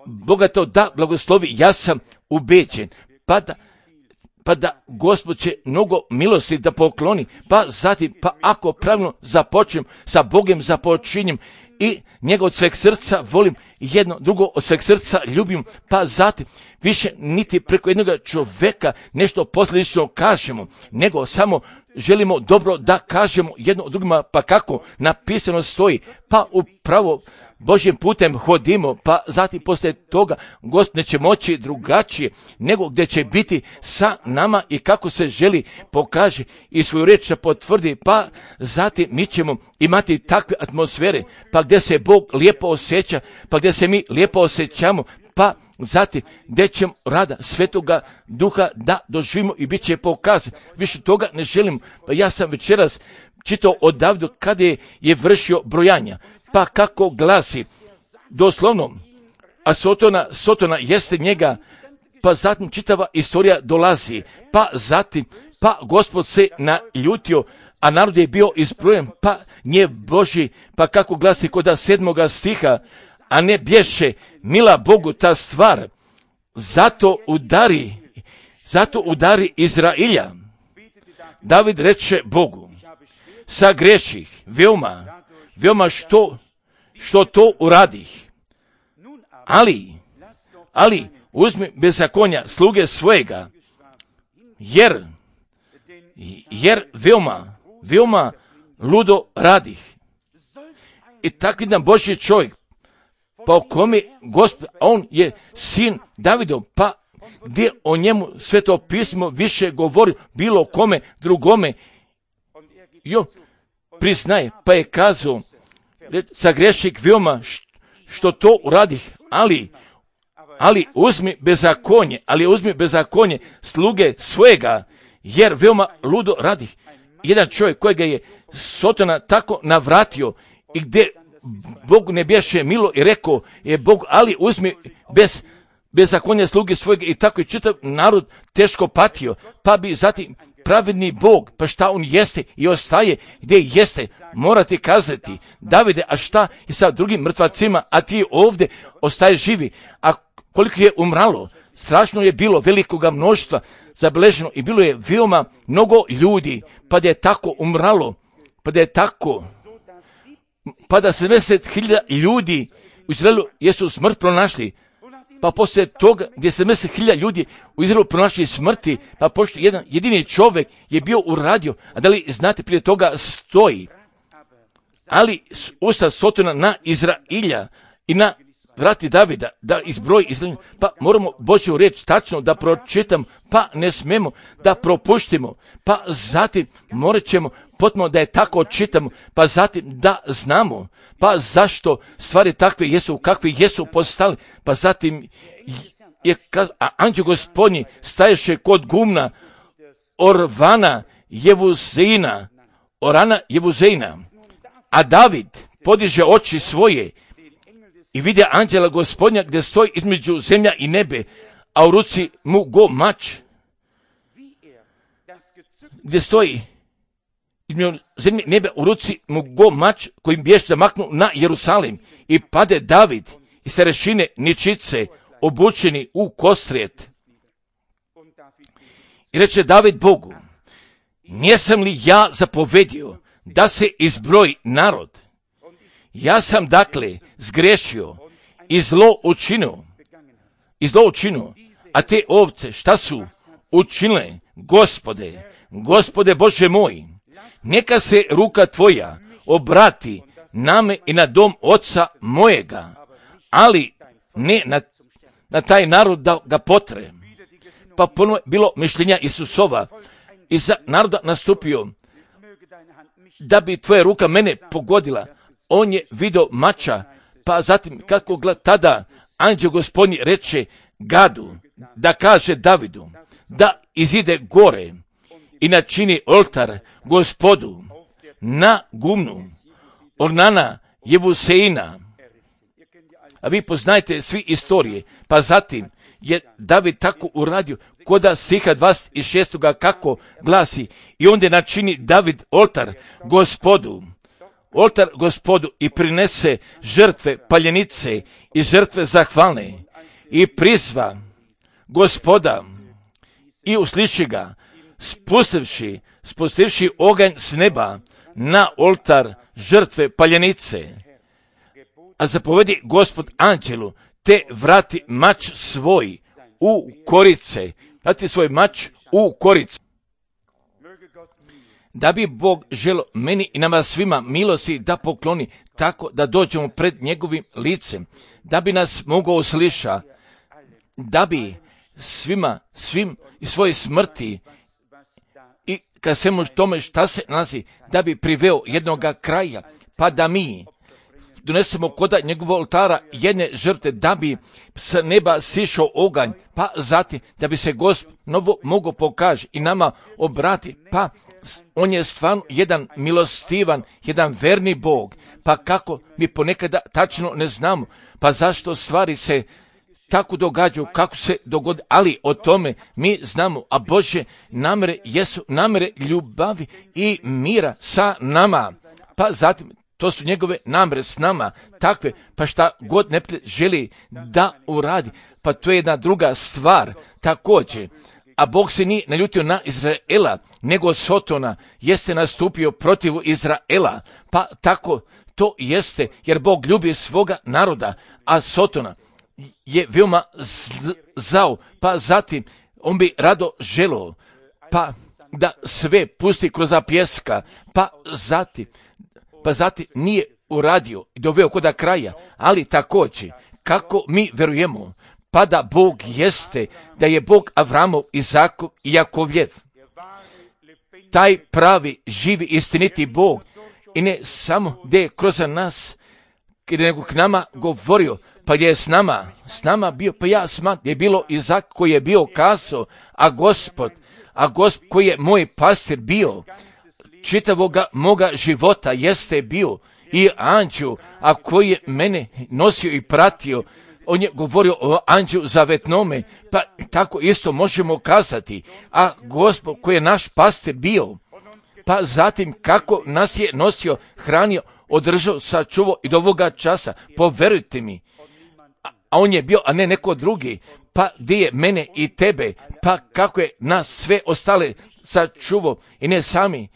Boga to da blagoslovi, ja sam ubeđen, pa da Gospod će mnogo milosti da pokloni, pa zatim, pa ako pravilno započnem, sa Bogom započinjem i njega od sveg srca volim, jedno drugo od sveg srca ljubim, pa zatim više niti preko jednog čoveka nešto posljedično kažemo, nego samo želimo dobro da kažemo jedno drugima, pa kako napisano stoji, pa upravo Božjim putem hodimo, pa zatim poslije toga Gospod neće moći drugačije, nego gdje će biti sa nama i kako se želi pokaže i svoju riječ da potvrdi, pa zatim mi ćemo imati takve atmosfere, pa gdje se Bog lijepo osjeća, pa gdje se mi lijepo osjećamo, pa zatim gdje ćemo rada Svetoga Duha da doživimo i bit će pokazan. Više toga ne želim, pa ja sam večeras čitao od Davida kada je vršio brojanja, pa kako glasi doslovno, a Sotona jeste njega, pa zatim čitava istorija dolazi, pa zatim, pa Gospod se naljutio, a narod je bio izbrojen, pa nje Boži, pa kako glasi kod 7. stiha, a ne bješe mila Bogu ta stvar, zato udari Izrailja. David reče Bogu, sagreših, veoma što to uradih, ali uzmi bezakonja sluge svojega, jer veoma ludo radih. I tako jedan Božji čovjek, pa o kome Gospod, on je sin Davidov, pa gdje o njemu Sveto pismo više govori bilo kome drugome, priznaje, pa je kazao, sagrešik veoma što to uradih, ali uzmi bezakonje sluge svojega, jer veoma ludo radih. Jedan čovjek kojega je Sotona tako navratio i gdje Bog ne bješe milo i rekao je Bog, ali uzmi bezakonje sluge svojega, i tako je čitav narod teško patio, pa bi zatim pravedni Bog, pa šta on jeste i ostaje gdje jeste, morate kazati, Davide, a šta je sa drugim mrtvacima, a ti ovdje ostaje živi, a koliko je umralo, strašno je bilo velikoga mnoštva zabeleženo i bilo je veoma mnogo ljudi, pa da je tako umralo, pa da 70.000 ljudi u Izraelu jesu smrt pronašli, pa poslije toga gdje se 10.000 ljudi u Izraelu pronašli smrti, pa pošto jedan jedini čovjek je bio uradio, a da li znate prije toga stoji, ali usta Sotona na Izrailja i na vrati Davida, da izbroji Izraelja, pa moramo Božju riječ tačno da pročitam, pa ne smemo da propuštimo, pa zatim morat ćemo potpuno da je tako čitamo, pa zatim da znamo, pa zašto stvari takve jesu, kakve jesu postali, pa zatim je anđeo Gospodnji staješe kod gumna Orana Jevuzeina, a David podiže oči svoje i vidi anđela Gospodnja gdje stoji između zemlja i nebe, a u ruci mu go mač, gdje stoji između zemlje i nebe, u ruci mu go mač kojim biješ zamaknu na Jerusalim, i pade David i starešine ničice obučeni u kostrijet. I reče David Bogu: nisam li ja zapovedio da se izbroji narod? Ja sam dakle zgrešio i zlo učinio, a te ovce šta su učinile? Gospode Bože moj, neka se ruka tvoja obrati name i na dom oca mojega, ali ne na taj narod da ga potre. Pa ponovo bilo mišljenja Isusova i za naroda nastupio da bi tvoja ruka mene pogodila. On je vidio mača, pa zatim kako tada anđeo Gospodnji reče Gadu da kaže Davidu da izide gore i načini oltar Gospodu na gumnu Orana Jevuseina. A vi poznajete svi istorije, pa zatim je David tako uradio, koda stiha 26. kako glasi: i onda načini David oltar Gospodu i prinese žrtve paljenice i žrtve zahvalne i prizva Gospoda i usliši ga, spustivši oganj s neba na oltar žrtve paljenice. A zapovedi Gospod anđelu, te vrati mač svoj u korice. Vrati svoj mač u korice. Da bi Bog želio meni i nama svima milosti da pokloni, tako da dođemo pred njegovim licem, da bi nas mogao usliša, da bi svim i svoje smrti i kad svemu tome šta se nalazi, da bi priveo jednoga kraja, pa da mi donesemo koda njegovog oltara jedne žrtve, da bi s neba sišao oganj, pa zatim da bi se Gospod novo mogao pokaže i nama obrati, pa on je stvarno jedan milostivan, jedan verni Bog, pa kako mi ponekada tačno ne znamo, pa zašto stvari se tako događaju, kako se dogodi, ali o tome mi znamo, a Božje namere jesu namere ljubavi i mira sa nama, pa zatim to su njegove namere s nama, takve, pa šta god neprijatelj želi da uradi, pa to je jedna druga stvar također. A Bog se nije naljutio na Izraela, nego Sotona jeste nastupio protiv Izraela, pa tako to jeste, jer Bog ljubi svoga naroda, a Sotona je veoma zao, pa zatim on bi rado želio, pa da sve pusti kroz pjeska, pa zatim nije uradio i doveo koda kraja, ali također, kako mi verujemo, pa da Bog jeste, da je Bog Avramov, Izakov i Jakovljev, taj pravi, živi, istiniti Bog, i ne samo da je kroz nas, nego k nama govorio, pa je s nama bio, pa ja smatram, je bilo Izak koji je bio kazao, a Gospod koji je moj pastir bio, čitavoga moga života jeste bio i anđeo, a koji je mene nosio i pratio, on je govorio o anđelu zavetnome, pa tako isto možemo kazati, a Gospod koji je naš pastir bio, pa zatim kako nas je nosio, hranio, održao, sačuvao i do ovoga časa, poverujte mi, a on je bio, a ne neko drugi, pa gdje je mene i tebe, pa kako je nas sve ostale sačuvao i ne sami,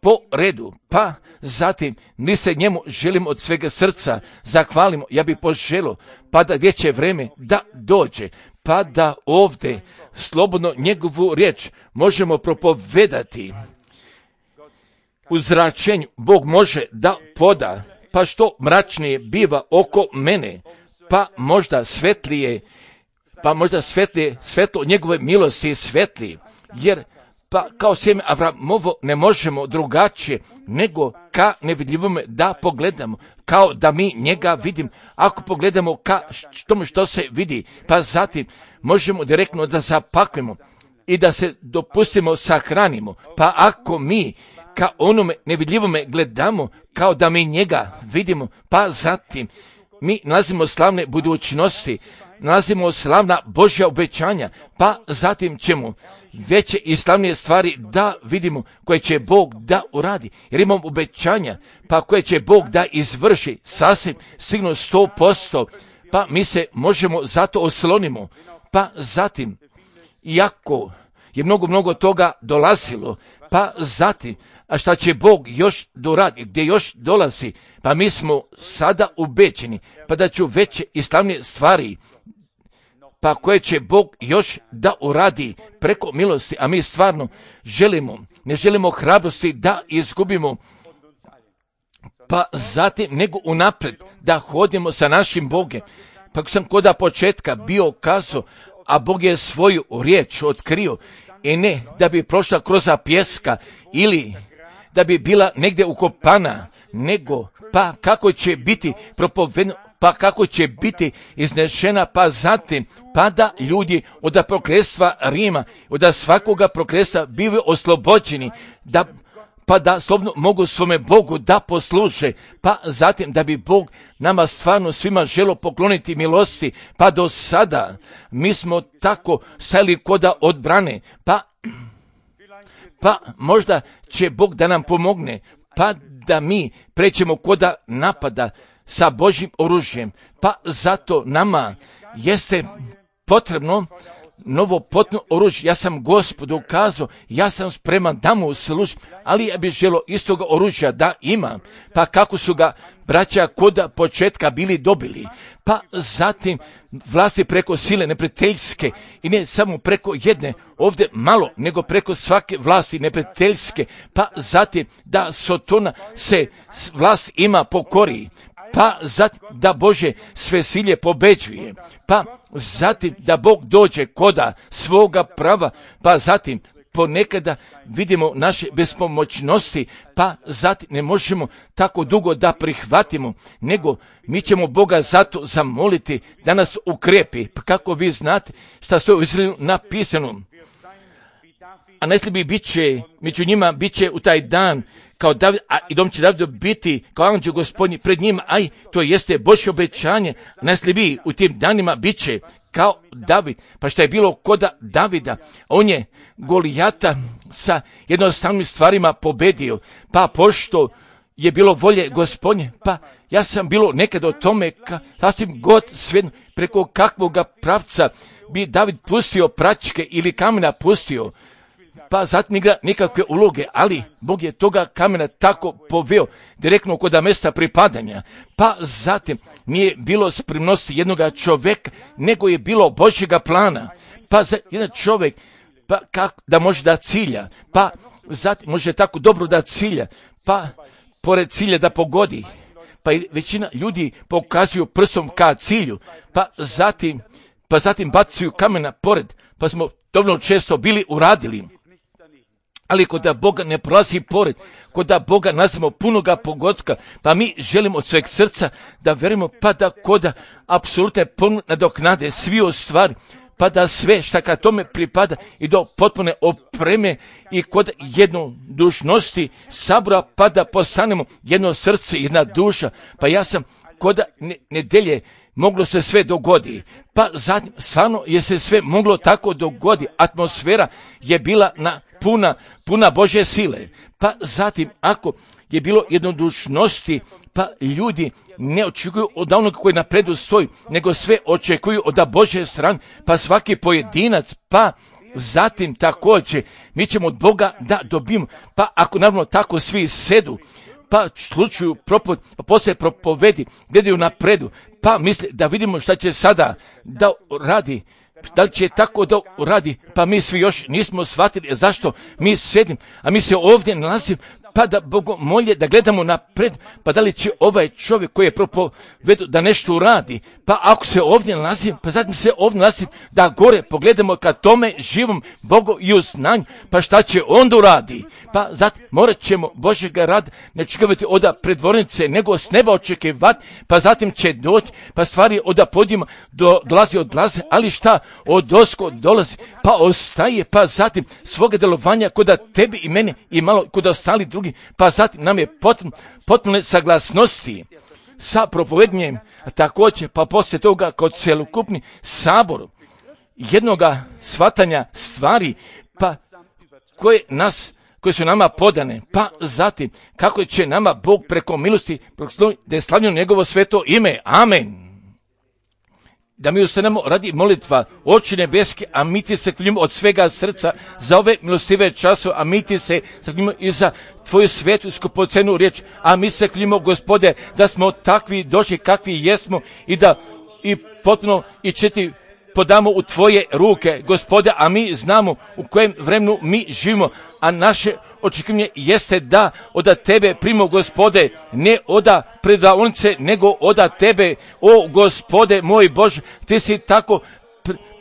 po redu, pa zatim mi se njemu želimo od svega srca zahvalimo. Ja bih poželio pa da vječe vreme da dođe, pa da ovdje slobodno njegovu riječ možemo propovedati. U zračenju Bog može da poda, pa što mračnije biva oko mene, pa možda svetlije, svetlo njegove milosti svetlije, jer pa kao sjeme Avramovo ne možemo drugačije nego ka nevidljivome da pogledamo, kao da mi njega vidim. Ako pogledamo ka što se vidi, pa zatim možemo direktno da zapakujemo i da se dopustimo sahranimo. Pa ako mi ka onome nevidljivome gledamo, kao da mi njega vidimo, pa zatim mi nalazimo slavne budućnosti, nalazimo slavna Božja obećanja, pa zatim ćemo veće i slavnije stvari da vidimo koje će Bog da uradi. Jer imamo obećanja, pa koje će Bog da izvrši sasvim sigurno 100%, pa mi se možemo zato oslonimo. Pa zatim, iako je mnogo toga dolazilo, pa zatim, a šta će Bog još doradi, gdje još dolazi, pa mi smo sada ubeđeni, pa da ću veće i slavnije stvari, pa koje će Bog još da uradi preko milosti, a mi stvarno ne želimo hrabrosti da izgubimo, pa zatim nego unaprijed da hodimo sa našim Bogom. Pa sam koda početka bio kazao, a Bog je svoju riječ otkrio, i ne da bi prošla kroz pjeska ili da bi bila negdje ukopana, nego pa kako će biti propovedeno, pa kako će biti iznešena, pa zatim pa da ljudi od prokletstva Rima, od svakoga prokletstva bivaju oslobođeni, pa da slobodno mogu svome Bogu da posluže, pa zatim da bi Bog nama stvarno svima želio pokloniti milosti, pa do sada mi smo tako stajali koda odbrane, pa možda će Bog da nam pomogne, pa da mi prećemo koda napada sa Božjim oružjem, pa zato nama jeste potrebno novo potpuno oružje. Ja sam Gospodu kazao, ja sam spreman da mu služim, ali ja bih želio istoga oružja da imam. Pa kako su ga braća koda početka bili dobili, pa zatim vlasti preko sile neprijateljske, i ne samo preko jedne ovdje malo, nego preko svake vlasti neprijateljske, pa zatim da Sotona se vlast ima pokori, pa zatim da Bože sve silje pobeđuje, pa zatim da Bog dođe koda svoga prava, pa zatim ponekada vidimo naše bespomoćnosti, pa zatim ne možemo tako dugo da prihvatimo, nego mi ćemo Boga zato zamoliti da nas ukrepi. Pa kako vi znate šta stoji u Izraelu napisano, a najslabiji bit će, među njima bit će u taj dan kao David, a i dom će Davidu biti kao anđeo Gospodnji pred njima, aj, to jeste Božje obećanje, najslabiji u tim danima bit će kao David. Pa što je bilo koda Davida, on je Golijata sa jednostavnim stvarima pobedio, pa pošto je bilo volje Gospodnje, pa ja sam bilo nekad o tome, sasvim god svejedno, preko kakvoga pravca bi David pustio pračke ili kamena pustio, pa zatim igra nikakve uloge, ali Bog je toga kamena tako poveo direktno kod mjesta pripadanja, pa zatim nije bilo spremnosti jednoga čovjeka, nego je bilo Božjega plana, pa za jedan čovjek, pa kako da može da cilja, pa zatim može tako dobro da cilja, pa pored cilja da pogodi, pa i većina ljudi pokazuju prstom ka cilju, pa zatim bacaju kamena pored, pa smo dovoljno često bili uradili. Ali kod da Boga ne prolazi pored, kod da Boga nazivamo punoga pogotka, pa mi želimo od sveg srca da verujemo, pa da kod da apsolutne nadoknade svi ostvari, pa da sve šta ka tome pripada i do potpune opreme i kod jednodušnosti sabora, pa da postanemo jedno srce, jedna duša. Pa ja sam kod nedelje moglo se sve dogodi, pa zatim stvarno je se sve moglo tako dogodi, atmosfera je bila puna Božje sile, pa zatim ako je bilo jednodušnosti, pa ljudi ne očekuju od onog koji napredu stoji, nego sve očekuju od Božje strane, pa svaki pojedinac, pa zatim također mi ćemo od Boga da dobijemo, pa ako naravno tako svi sedu, pa slučaju propoved, pa poslije propovedi, gledaju napredu, pa misle da vidimo šta će sada da radi, da li će tako da radi, pa mi svi još nismo shvatili zašto mi sedim, a mi se ovdje nalazimo, pa da Bogu molje da gledamo napred, pa da li će ovaj čovjek koji je propovedu da nešto uradi, pa ako se ovdje nalazim, pa zatim se ovdje nalazim da gore pogledamo ka tome živom Bogu i u znanju, pa šta će onda uradi, pa zatim morat ćemo Božjega rada ne očekivati od predvornice, nego s neba očekivati, pa zatim će doći, pa stvari od podijuma odlaze, ali šta od osko dolazi, pa ostaje, pa zatim svoga delovanja kod tebi i mene i malo kod ostali drugi, pa zatim nam je potpuno saglasnosti sa propovednjem, također pa poslije toga kod celokupni sabor jednoga shvatanja stvari, pa koje su nama podane, pa zatim kako će nama Bog preko milosti da je slavljeno njegovo sveto ime. Amen. Da mi ustanemo radi molitva, Oče nebeski, a mi ti se hvalimo od svega srca za ove milostive časove, a mi ti se hvalimo i za tvoju svetu skupocenu riječ, a mi se hvalimo, Gospode, da smo takvi došli kakvi jesmo i da i potpuno i četi podamo u tvoje ruke, Gospode, a mi znamo u kojem vremenu mi živimo, a naše očekivanje jeste da od tebe primo, Gospode, ne od predavnice, nego od tebe, o Gospode moj Bože, ti si tako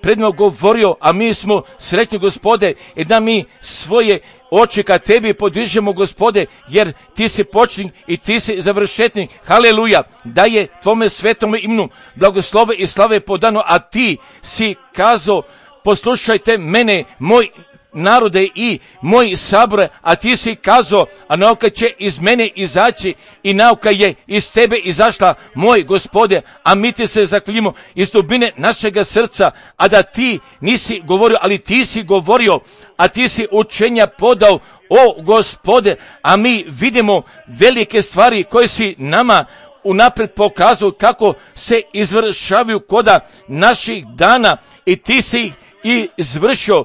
predno govorio, a mi smo sretni, Gospode, i da mi svoje oči ka tebi podižemo, Gospode, jer ti si početnik i ti si završetnik. Haleluja, da je tvome svetome imenu blagoslove i slave podano, a ti si kazao, poslušajte mene, moj narode i moji sabore, a ti si kazao, a nauka će iz mene izaći i nauka je iz tebe izašla, moj Gospode, a mi ti se zahvaljujemo iz dubine našega srca, a da ti nisi govorio, ali ti si govorio, a ti si učenja podao, o Gospode, a mi vidimo velike stvari koje si nama unapred pokazuju kako se izvršavaju koda naših dana i ti si ih i izvršio.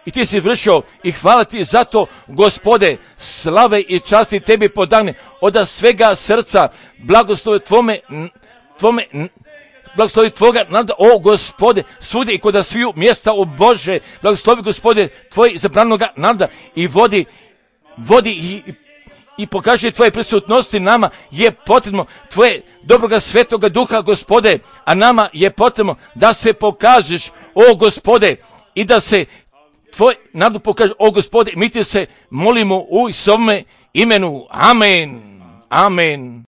I ti si vršio i hvala ti za to, Gospode, slave i časti tebi podane od svega srca, blagoslovi blagoslovi tvoga naroda, o Gospode, svugdje i kod sviju mjesta, o Bože, blagoslovi, Gospode, tvoj izabranoga naroda i vodi i pokaži tvoje prisutnosti. Nama je potrebno tvoje dobroga svetoga duha, Gospode, a nama je potrebno da se pokažeš, o Gospode, i da se tvoj narod pokaže, o Gospode, mi ti se molimo u svome imenu. Amen. Amen.